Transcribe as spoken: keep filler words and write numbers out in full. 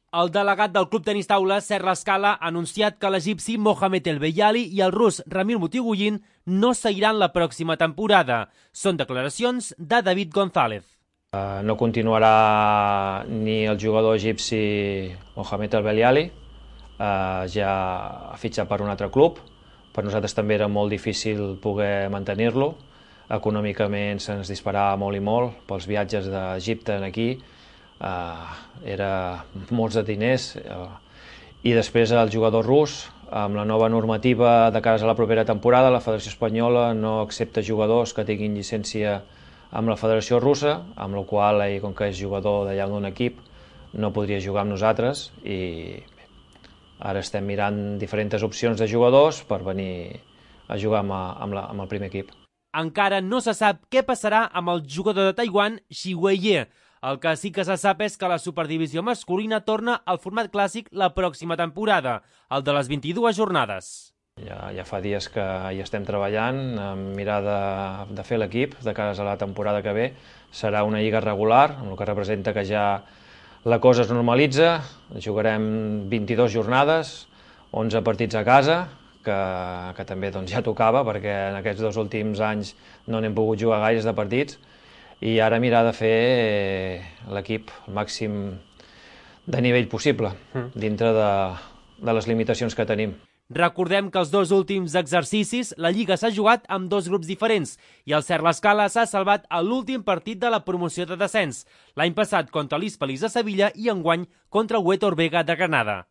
El delegat del Club Tenis Taula, Sergi Lascala, ha anunciat que l'egipci Mohamed El Beyali i el rus Ramil Mutigujin no seguiran la pròxima temporada. Són declaracions de David González. Uh, no continuarà ni el jugador egipci Mohamed El Beyali, uh, ja ha fitxat per un altre club. Per nosaltres també era molt difícil poder mantenir-lo. Econòmicament se'ns disparava molt i molt pels viatges d'Egipte aquí. Uh, era molts de diners, uh, i després el jugador rus, amb la nova normativa de cara a la propera temporada, la Federació Espanyola no accepta jugadors que tinguin llicència amb la Federació Russa, amb la qual, ell, com que és jugador d'allà d'un equip, no podria jugar amb nosaltres, i bé, ara estem mirant diferents opcions de jugadors per venir a jugar amb, amb, la, amb el primer equip. Encara no se sap què passarà amb el jugador de Taiwan, Xi Weiye. El que sí que se sap és que la superdivisió masculina torna al format clàssic la pròxima temporada, el de les vint-i-dues jornades. Ja, ja fa dies que hi estem treballant, amb mirar de, de fer l'equip de cara a la temporada que ve. Serà una lliga regular, amb el que representa que ja la cosa es normalitza. Jugarem vint-i-dues jornades, onze partits a casa, que, que també doncs, ja tocava, perquè en aquests dos últims anys no n'hem pogut jugar gaires de partits. I ara mirar de fer l'equip el màxim de nivell possible, dintre de, de les limitacions que tenim. Recordem que els dos últims exercicis la Lliga s'ha jugat amb dos grups diferents i el Sergi Lascala s'ha salvat a l'últim partit de la promoció de descens, l'any passat contra l'Hispalis de Sevilla i enguany contra el Huetor Vega de Granada.